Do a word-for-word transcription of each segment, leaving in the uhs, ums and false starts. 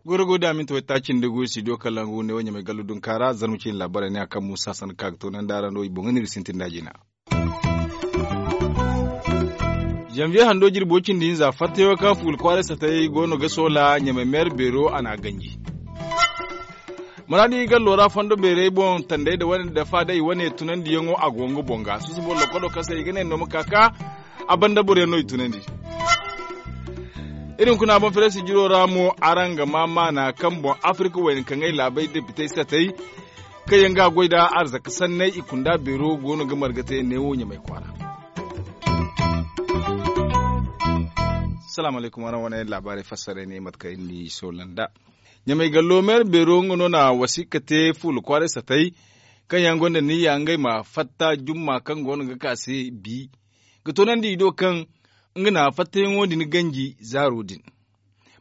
Goro go da minti waytaaci nda gu studio kalangu ne wo ɲamay gallu dunkaara zarma ciine laabaarey ne a kaŋ muusa sanda ka ga toonandi a ra no i boŋ ga no iri sintin da jina. Zanviye hando jirbo cindi hinza fattayaŋo kaŋ fuula kwaaray satay go no ga soola ɲamay meera beero a n'a ganji. Maraadi gallo ra fondo beerey boŋ tanday nda wane dafa day wane tunandiyaŋo a go nga boŋ ga susubo lokolo kaŋ se i ga ne no ma ka ka a banda boroyaŋ no i tunandi. Iri hunkuna boŋ fereesi jiro ra mo araŋ ga ma maana kaŋ boŋ afirka wayna kaŋ ay laabay depitey satay kaŋ yaŋ ga a goy nda arzaka sanney i kunda beero go no ga marga te neewo ɲamay kwaara. Salaamu alaykum araŋ wane laabaarey fassarey ne mate kaŋ iri n'i soola nd'a. Ɲamay gallo meera beero nga no na wasiika te fuula kwaaray satay kaŋ yaŋ gonda niyya ngey ma fatta jumma kaŋ go no ga ka se bi ga toonandi i do kaŋ nga na fattayaŋo din ganji zaaro din.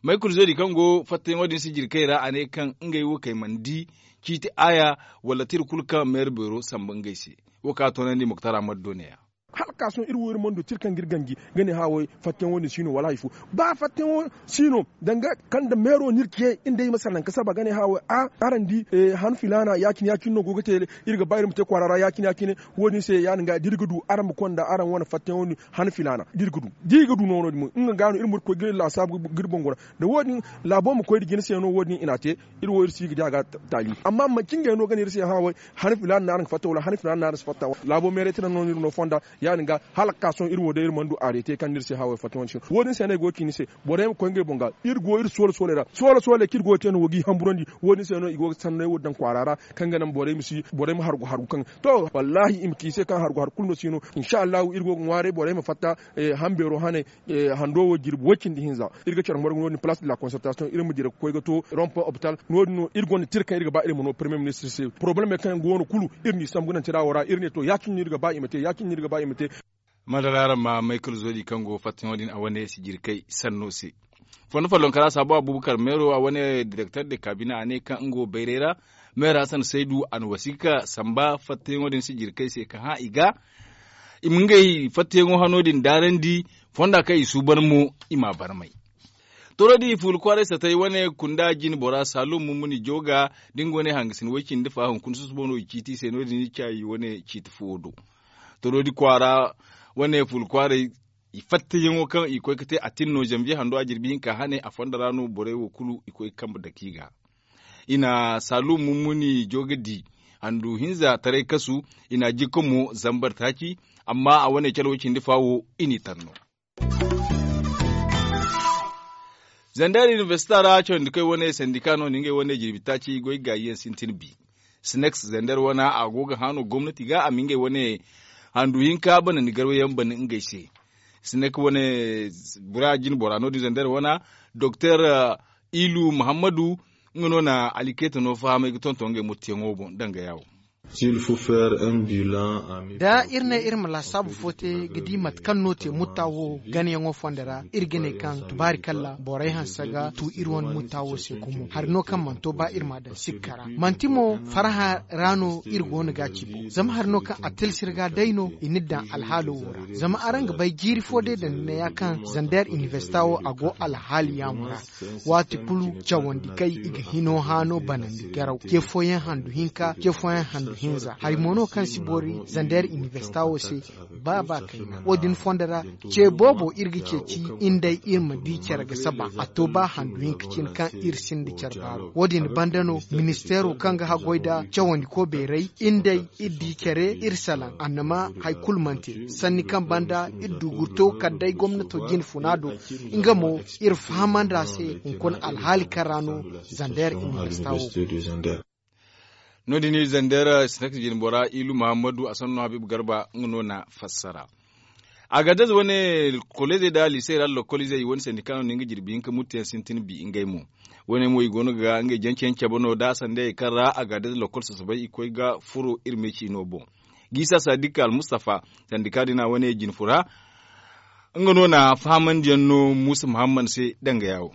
Maykul zodi kaŋ go fattayaŋo din sijirkey ra a ne kaŋ ngey wo kay mana di ciiti aaya wala tira kulu kaŋ meera beero samba ngey se. Wo kaŋ a toonandi muktar ahmad do ne-ya. Hala ka sohõ iri wo iri mana du tira kaŋ ga iri ganji ga ne haawo fattayaŋo din si no wala hari fo. Ba fattayaŋo si no danga kaŋ nda meero no iri ce iri nda ay ma salaŋ ga saba ga ne haawo a araŋ di han filaana ya- cine ya- cine no go ga te. Iri ga ba iri ma te kwaara ra ya- cine ya- cine wo- din se ya- din ga da iri ga du araŋ ma konda araŋ wane fattayaŋo din han filaana da iri ga du da iri ga du noono din mo nga ga no iri ma iri koy ga iri laasaabu ga iri boŋ gora. Da wo- din laabo ma koy nda jina se no wo- din i n'a te. Iri wo iri si ga di a ga taali amma manci ngey no ga ne iri se hã way han filaana no araŋ ga fatta wala han filaana no araŋ si fatta. Laabo meeray tira no no iri no fonda ya- din ga hala ga ka sohõ iri wo day iri mana du areete kaŋ no iri se hã way fatta wane se no wo- din se no ay go ga ci ni se. Borey ma koy ngey boŋ ga iri go iri soola sooley ra soola sooley kaŋ iri go ga te no wo g'i hamburandi. Wo- din se no i go ga sanney wo daŋ kwaara ra kaŋ ga naŋ borey ma si borey ma hargu hargu kaŋ to wallaahi i ma ci i se kaŋ hargu hargu kulu no si no. Insa allahu iri go ga ŋwaaray borey ma fatta hambeero haney hando wo jirbi way cindi hinza. Iri ga care margu no- din palaas de la konsertasiyoŋ iri ma dira ga koy ga to rompo opital no- din no iri gonda tira kaŋ iri ga ba iri ma no parmiye ministir se porobalemey kaŋ yaŋ go no kulu iri n'i sambu ga naŋ tira wo ra iri ne to ya- cine no iri ga ba i ma te ya- cine no iri ga ba i ma te. Madara araŋ ma maykal zodi kaŋ go fattayaŋo din a wane sijirkey sanno se. Fondo follonkara saabu abubakar meero a wane direkter de kaabine a ne kaŋ nga wo bayray ra meera hasan saydu a na wasiika samba fattayaŋo din sijirkey se ka hã i ga i ma ngey fattayaŋo hano din daarandi fonda kaŋ i suuban mo i m'a barmay. Toro di fuula kwaaray satay wane kunda jine bora saalum mummuni jooga da nga wane hangasin way-cindi fa hunkuna susubo no i ciiti i se no- din i caayi wane ciiti fuwo do. Toro di kwaara wane fuula kwaaray i fattayaŋo kaŋ i koy ga te a tin no zanviye hando a jirbi hinka hane a fonda ra no borey wo kulu i koy ga kambe dake i ga. I na saalum mummuni jooga di handu hinza taray kasu i na a jikka mo zambar taaci. Amma a wane care way-cindi fa wo i n'i tar no. Zandar inibersita ra cawandi koy wane sandika no na ngey wane jirbi taaci goy gaayi yaŋ sintin bi. Sinex zandar wana a go ga hã no gomnati ga a ma ngey wane handu hinka banandi garway yaŋ banda ngey se. Sinex wane bura jine bora no- din zandar wana doktor ilu muhammadu nga no na alikeeta no fahamay ga tonton ngey murtiyaŋo boŋ danga yaawo. Da iri ne iri ma laasaabu fo te ga di mate kaŋ no te mutta wo ganayaŋo fondo ra iri ga ne kaŋ tubaari kalla borey hanse ga tu iri wane mutta wo se gumo hari no kaŋ mana to ba iri m'a daŋ sikka ra manti mo farhã ra no iri go no ga a ci boŋ zama hari no kaŋ a tilsi iri ga day no i n'iri daŋ alhaalo wo ra. Zama araŋ ga bay jiiri fo day daŋ ni ne ya kaŋ zander inibersita wo a go alhaali yaamo ra. Waati kulu cawandi kay i ga hino haano banandi garaw ce fooyaŋ handu hinka ce fooyaŋ handu hinza hari mo no kaŋ si boori zander inibersita wo se. Ba ba kayna wo- din fondo ra ce boobo iri ga ceeci iri nd'ey iri ma di care ga saba a to ba handu hinka cine kaŋ iri sinda care baaro wo- din banda no ministeero kaŋ ga haggoy nda cawandiko beeray iri nd'ey iri di care iri salaŋ annama hari kulu mana te sanni kaŋ banda iri dugurto kala day gomnato jine funa do. Nga mo iri fahamandi a se hunkuna alhaali kaŋ ra no zander inibersita wo. No- din iri zander sinex jine bora ilu muhammadu a sanno habiibu garba nga no na fassara. Agadez wane kolleezey nda liisey ra lokoliizey i wane sandika no na nga jirbi hinka murteyaŋ sintin bi ngey mo. Wane mo i go no ga ngey janceyaŋ cabe no da sandey kaŋ ra agadez lokol sasabay i koy ga furo iri me ciino boŋ. Giisa sadika almustafa sandika din a wane jine fura nga no na fahamandiyaŋ no muusa muhammad se danga yaawo.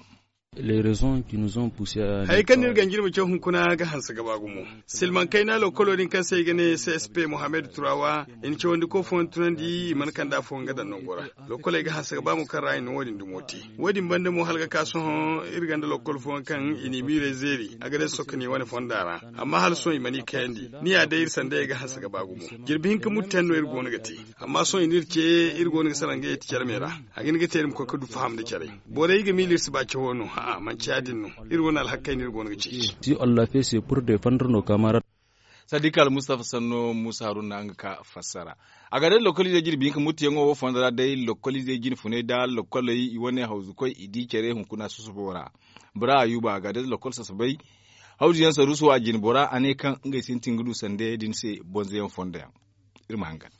Hayey kaŋ no iri ganji iri ma caw hunkuna ga hanse ga ba gumo. Silmaŋ kayna lokolo din kaŋ se i ga ne csp mohammed turawa i na cawandi ko fooyaŋ tunandi i mana kande afooyaŋ ga daŋ nango ra. Lokoley ga hanse ga ba mo kaŋ ra i na wo- din dumo te. Wo- din banda mo hala ga ka sohõ iri gonda lokol fooyaŋ kaŋ i n'i miirey zeeri a ga daŋ sokani wane fonda ra. Amma hala sohõ i mana i kayandi. Ni ya day iri sandayey ga hanse ga ba gumo. Jirbi hinka muttayaŋ no iri go no ga te. Amma sohõ i n'iri ce iri go no ga salaŋ ga yeti care me ra. A ga hin ga te iri ma koy ga du faham nda care. Borey ga miila iri si ba cawo no a'a manti ya- din no. Iri wane alhakey no iri go no ga ceeci. Si on lafe se pur defandre no kamarad. Sadiq almustafa sanno musa haruna nga ka fassara. A ga day lokoliizey jirbi hinka muttuyaŋo wo fondo ra day lokoliizey jine funay nda lokoley i wane hawzukoy i di care hunkuna susubo ra. Bora ayuba a ga day lokol sasabay. Hawzuyaŋ saruuso a jine bora a ne kaŋ ngey sintin ga du sandayey din se bonzoyaŋ fondo yaŋ. Iri ma hangan.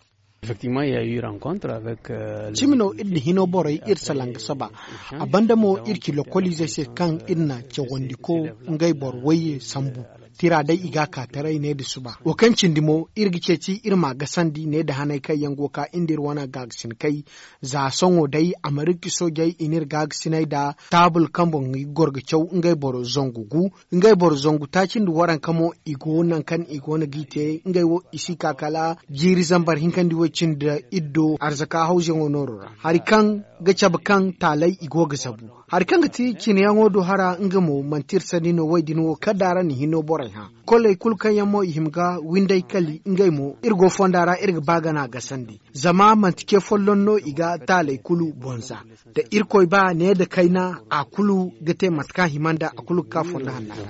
Cimi no iri na hino borey iri salaŋ ga saba. A banda mo iri ci lokoliizey se kaŋ iri na cawandi ko ngey boro wayye sambu. Tira day i ga a ka taray ne nda suba wo kaŋ cindi mo iri ga ceeci iri ma a gasandi ne nda hanay kaŋ yaŋ go ga ka iri nda iri wane gaagasinakey. Za sohõ day amerika soojey i n'iri gaagasinay nda taabul kaŋ boŋ i ga goro ga caw ngey boro zangu gu. Ngey boro zangu taaci nda waranka mo i go nangu kaŋ i go no g'i te ngey wo i si ka kala jiiri zambar hinkandi way- cindi iddo arzaka hawzuyaŋo nooro ra hari kaŋ ga cabe kaŋ taaley i go ga zabu. Hari kaŋ ga ti cineyaŋo do hara nga mo manti iri sanni no way- din wo kala da araŋ na hinno borey hã. Koley kulu kaŋ yaŋ mo i hima ga winday kali ngey mo iri go fonda ra iri ga ba gana gasandi. Zama manti ce folloŋ no i ga taaley kulu bonza. Da irkoy ba ne nda kayna a kulu ga te mate kaŋ a hima nda a kulu ga ka fonda hanna ra.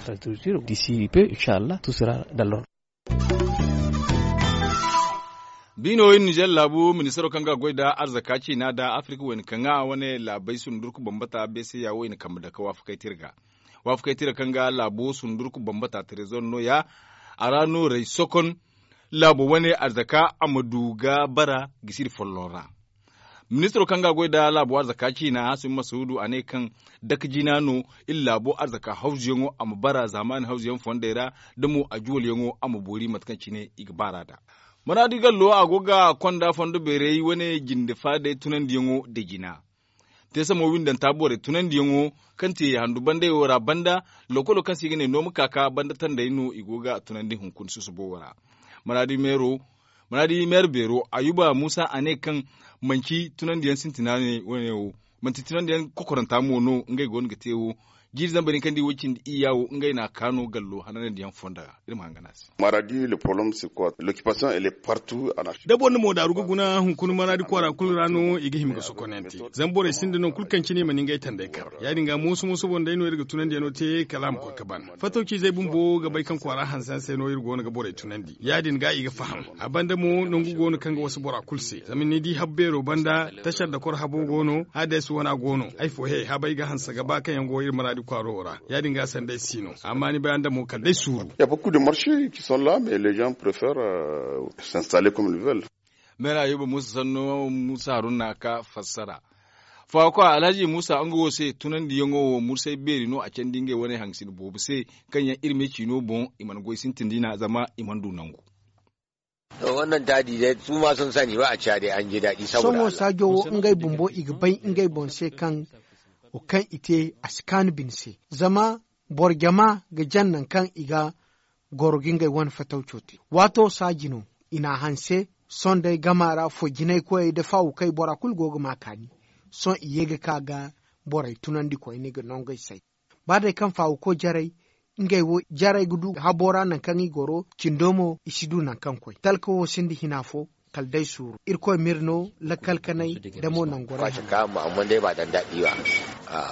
Biino iri nizer laabu ministaro kaŋ ga a goy nda arzaka ciina nda afirka wayna kaŋ a wane laabey sundurku bambata beeseya wo i na kambe dake waafakey tira ga. Waafakey tira kaŋ ga laabo sundurku bambata trezor no- ya a ra no ray sokon. Laabo wane arzaka a ma du ga bara gisiri folloŋ ra. Ministiro kaŋ ga a goy nda laabo arzaka ciina hasumi masuudu a ne kaŋ dake jina no iri laabo arzaka hawzuyaŋo a ma bara zaamaani hawzuyaŋ fondey ra. Da mo a juwalyaŋo a ma boori mate kaŋ cine i ga baar'a nd'a. Maraadi gallo a go ga konda fondo beerey wane jinde faadey tunandiyaŋo nda jina. Teesamo windanta borey tunandiyaŋo kaŋ te handu bandey wo ra banda. Lokolo kaŋ se i ga ne nooma kaaka banda tandey no i go ga tunandi hunkuna susubo wo ra. Maraadi meero maraadi meero beero ayuba muusa a ne kaŋ manti tunandiyaŋ sintina ne wane wo manti tunandiyaŋ kokoranta mo no ngey go no ga te wo. Jiiri zambar hinka nda i wo cindi iyya wo ngey no a ka no gallo hananandiyaŋ fonda ra. Iri ma hangan a se. Maradi le problème c'est quoi? L'occupation elle est partout en afrique. Da boro na moodaaru ga guna hunkuna maraadi kwaara kulu ra no i ga hima ga sokonante. Zama borey sinda nangu kulu kaŋ cine i mana ngey tandey kar. Ya- din ga mooso mooso boŋ day no iri ga tunandiyaŋo te kala a ma koy ga ban. Fatawciizey bumbo ga bay kaŋ kwaara hanse hanse no iri go no ga borey tunandi ya- din ga i ga faham. A banda mo nangu go no kaŋ ga wasa bora kulu se zama ni di habbeero banda. Tashar dakor habo go no hades wana go no ay fo he habay ga hanse ga ba kaŋ yaŋ go iri maraadi kwaaro ra. Ya- din ga sanda ay si no amma ni bay a nda mo kala day suuru. Ya beaucoup de marché qui sont là mais les gens préfèrent s'installer comme ils veulent. Meera yuba muusa sanno muusa haruna ka fassara. Faako alhaji muusa nga wo se tunandiyaŋo wo mursay beeri no a candi ngey wane hangasina boobo se kaŋ yaŋ iri ma ay ciino boŋ i mana goy sintin diina zama i mana du nangu. Wannan taadi day su ma sun sani ba a ciya day an ji daɗi saboda sohõ saajo wo ngey bumbo i ga bay ngey boŋ se kaŋ wo kaŋ i te a si kaanu bine se. Zama boro jama ga jaŋ nangu kaŋ i ga goro ga ngey wane fatawco te. Waato saaji no i n'a hanse. Sohõ day gama ra fo jinay koyey nda faawukey bora kulu go ga ma kaani. Sohõ i ye ga ka ga borey tunandi koyne ga nongey say. Ba day kaŋ faawuko jarey ngey wo jarey ga du habo ra nangu kaŋ i goro cindo mo i si du nangu kaŋ koy talka wo sinda hina fo. Kala day suuru irkoy m'iri no lakkal kanay da mo nangu ra. Amma day ba dan daɗi ba.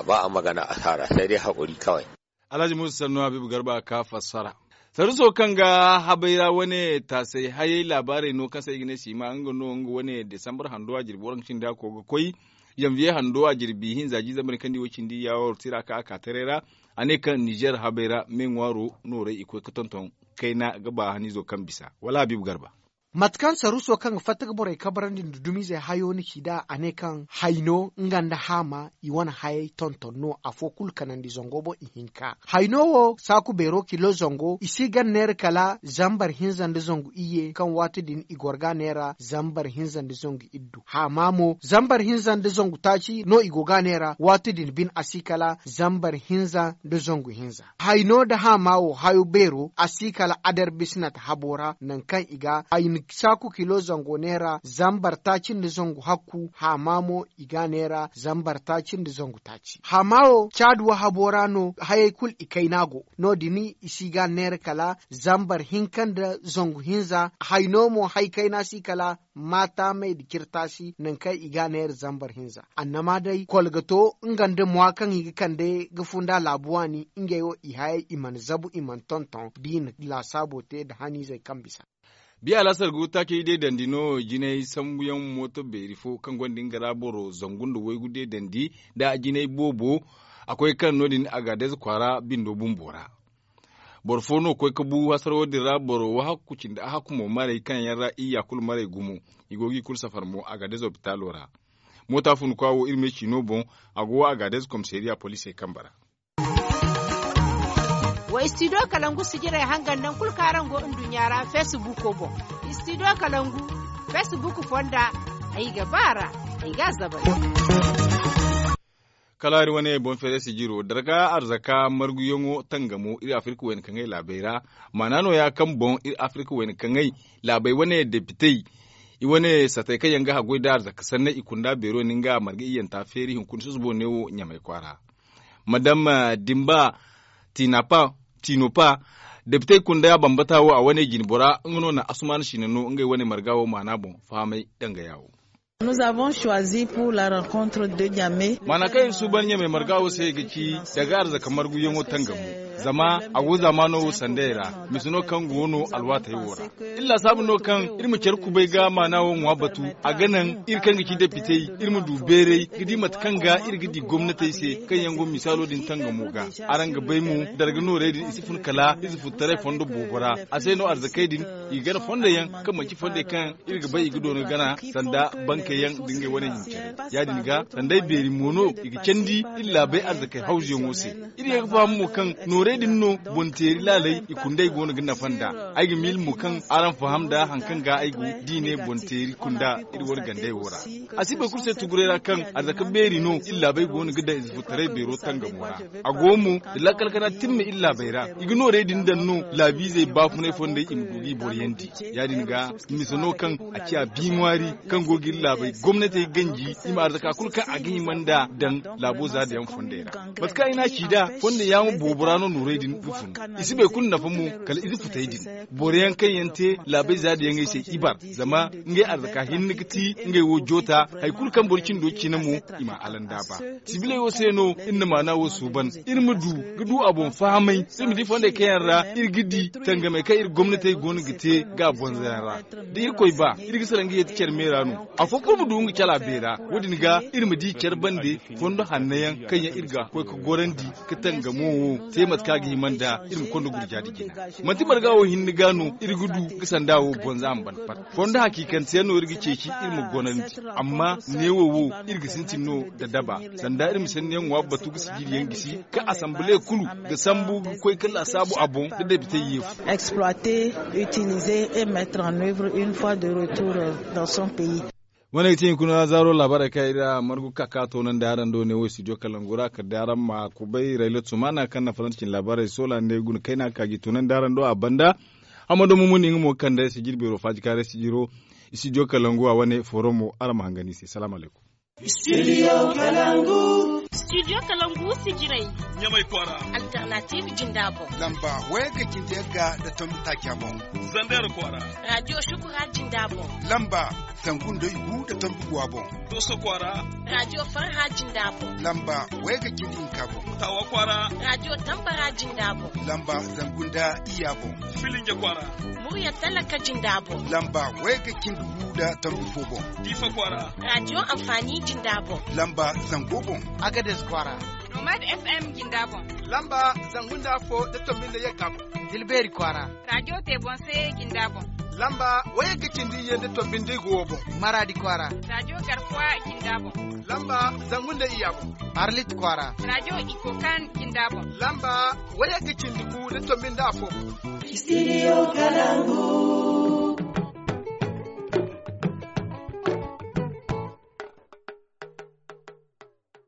Ba a magana asara sai dai haƙuri kawai. Alhaji muusa sannu habiibu garba ka fassara. Saruso kaŋ ga habay ra wane taasay hayay laabaarey no kaŋ se ay ga ne siima nga no nga wane desambar hando a jirbi waranka cindi a koy ga koy. Janviye hando a jirbi hinza jiizambar kaŋ di wo cindi yaawar tira ka a ka taray ra. A ne kaŋ nizer habay ra me ŋwaaro nooray i koy ga tonton kayna ga ba haniizo kaŋ bisa wala habiibu garba. Mate kaŋ saruuso kaŋ ga fatta ga borey kabrandi nda dumizey hayo ni ci nd'a, a ne kaŋ hayno nga nda haama, i wane hayey tonton no afo kulu kanandi zango boŋ ihinka. Hayno wo saaku beero kilo zango i si ga neera kala zambar hinza nda zangu iyye kaŋ waati din i goro ga a neera zambar hinza nda zangu iddu. Haama mo zambar hinza nda zangu taaci no i go ga a neera waati din bine a si kala zambar hinza nda zangu hinza. Hayno nda haama wo hayo beero a si kala adar bisinat habo ra nangu kaŋ i ga hayni saaku kilo zango neera zambar taaci nda zangu hakku haama mo i ga a neera zambar taaci nda zangu taaci. Haama wo caadi wo habo ra no hayey kulu i kayna go. No- din i si ga a neera kala zambar hinka nda zangu hinza. Hayno mo hari kayna si kala maataamey nda cirtaasi nangu kaŋ i ga a neera zambar hinza. Annama day kolgato nga nda mwa kaŋ i ga kande ga funda laabu waani ngey wo i hayey i mana zabu i mana tonton da i na laasaabo te nda haniizey kaŋ bisa. Biya laasar ga taacey deedandi no jinay sambuyaŋ mooto beeri fo kaŋ gonda nga ra boro zangu nda waygu deedandi nda jinay boobo. A koy kaŋ no- din agaadez kwaara bindo bumbo ra. Boro fo no koy ga bu hasaro din ra boro wahakku cindi ahakku mo maray kaŋ yaŋ ra iyya kulu maray gumo. I go ga i kulu safar mo agaadez opitaalo ra. Moota funkwa wo iri me ciino boŋ. A go agaadez komisariya poliisey kambe ra. Wa istidiyo kalangu sijirey hangan nangu kulu kaŋ araŋ go nduɲɲa ra feesibuuko boŋ. Istidiyo kalangu feesibuuko fonda. Ay ga ba a ra. Ay ga a zabay. Kala iri wane boŋ feere sijiro darga arzaka marguyaŋo tangamo iri afirka wayna kaŋay laabey ra. Maana nooya kaŋ boŋ iri afirka wayna kaŋay laabey wane depitey i wane satey kaŋ yaŋ ga haggoy nda arzaka sanney i kunda beero ni nga marga iyyanta feeri hunkuna susubo neewo ɲamay kwaara. Madame dimba tinopa depitey kunda bambata wo a wane jinbora nga no na asumaana siina no ngey wane marga wo maana boŋ fahamay dangaya wo. Maana kaŋ iri suuban ɲamay marga wo se ga ci daga arzaka marguyaŋo tangamo. Zama a go zaamaano wo sanday ra mise no kaŋ go no alwaatey wo ra. Iri laasaabu no kaŋ iri ma care kubay ga maana wo ŋwa batu. A ga naŋ iri kaŋ ga ci depitey iri ma du beeray ga di mate kaŋ ga iri ga di gomnatey se kaŋ yaŋ go misaalo din tangamo ga. Araŋ ga bay mo darga noorey din i si fun kala ize futtaray fondo boobo ra. A se no arzakey din i ga gana fondo yaŋ kaŋ manti fondey kaŋ iri ga bay i ga doona gana sanda bankey yaŋ nda ngey wane hincare. Ya- din ga sanday beeri mo no i ga candi iri laabey arzakey hawzuyaŋo se. Iri ye ga faham mo kaŋ noorey din no boŋ teeri laaley i kundey go no ga nafa nd'a. Ay ga miila mo kaŋ araŋ faham nda hari kaŋ ga ay go da i ne boŋ teeri kunda iri wane gandey wo ra. A si boro kulu se tuguray ra kaŋ arzaka beeri no iri laabey go no ga daŋ ize futtaray beero tangamo ra. A go mo da lakkal kana timme iri laabey ra i ga noorey din daŋ no laabiizey baafunay fondey i ma du ga i boroyandi. Ya- din ga mise no kaŋ a ciya bi ŋwaari kaŋ go ga iri laabey gomnatey ganji i ma arzaka kulu kaŋ a ga hima nd'a daŋ laabo zaada yaŋ fondey ra. Mate kaŋ ay n'a ci nd'a fondey yaŋo boobo ra no noorey din ga fun. I si boro kulu nafa mo kala ize futey din. Boro yaŋ kaŋ yaŋ te laabey zaada yaŋey se ibar zama ngey arzaka hinne ga ti ngey wo joota hari kulu kaŋ boro cindo cina mo i ma a alandaaba. Sibiley wo se no iri na maana wo suuban iri ma du ga du a boŋ fahamay iri ma di fondey kaŋ yaŋ ra iri ga di tangamey kaŋ iri gomnatey go no ga te ga a bonza yaŋ ra. Da irkoy ba iri ga salaŋ ga yeeti care me ra no afo kulu ma du nga cala beera. Wo- din ga iri ma di care bande fondo hanno yaŋ kaŋ yaŋ iri ga koy ga gorandi ga tangamo wo te mate kaŋ a ga hima nda iri ma konda gurja da jina. Manti marga wo hinne ga no iri ga du ga sanda wo bonza a ma ban pat. Fondo hakiikanteyaŋ no iri ga ceeci iri ma gonandi. Amma neewo wo iri ga sintin no da daba sanda iri ma sanniyaŋ ŋwa batu ga sijiriyaŋ gisi kaŋ asambale kulu ga sambu ga koy ga laasaabu a boŋ da depitey yeefu. Exploiter, utiliser et mettre en œuvre une fois de retour dans son pays. Wane ga ti hunkuna zaaro laabaarey kaŋ iri a margu ga ka ga toonandi araŋ do ne wo studio kalangu ra kala day araŋ ma kubay raylat sumana kaŋ na faransa cine laabaarey soola ne guna kayna ga ka ga i toonandi araŋ do a banda. Hamado mumuni nga mo ga kande sijiri beero faaji kaaray sijiro studio kalangu a wane forum mo araŋ ma hangan i se salaamu alaykum. Studio kalangu. Studio kalangu sijirey. Ɲamay kwaara. Alternative jinda boŋ. Lamba wayga cindi yagga da tombi taaca boŋ. Zander kwaara. Radio shukura jinda boŋ. Lamba zangu nda igu da tombi guwa boŋ. Doso kwaara. Radio farha jinda boŋ. Lamba wayga cindi hinka boŋ. Tawa kwaara. Radio tambara jinda boŋ. Lamba zangu nda iyya boŋ. Filinge kwaara. Murya talaka jinda boŋ. Lamba wayga cindi gu da tombi fo boŋ. Difa kwaara. Radio amfani jinda boŋ. Lamba zango boŋ. Agades kwaara. Nomad F M jinda boŋ. Lamba zangu nda afo da tombi nda yagga boŋ. Tilberi kwaara. Radio tebonse jinda boŋ. Lamba wayagga cindi iyye nda tombi nda igo wo boŋ. Maradi kwaara. Rajo garkuwa jinda boŋ. Lamba zangu nda iyya boŋ. Arlit kwaara. Rajo ikokan jinda boŋ. Lamba wayagga cindi gu nda tombi nda afo boŋ. Studio Kalangu.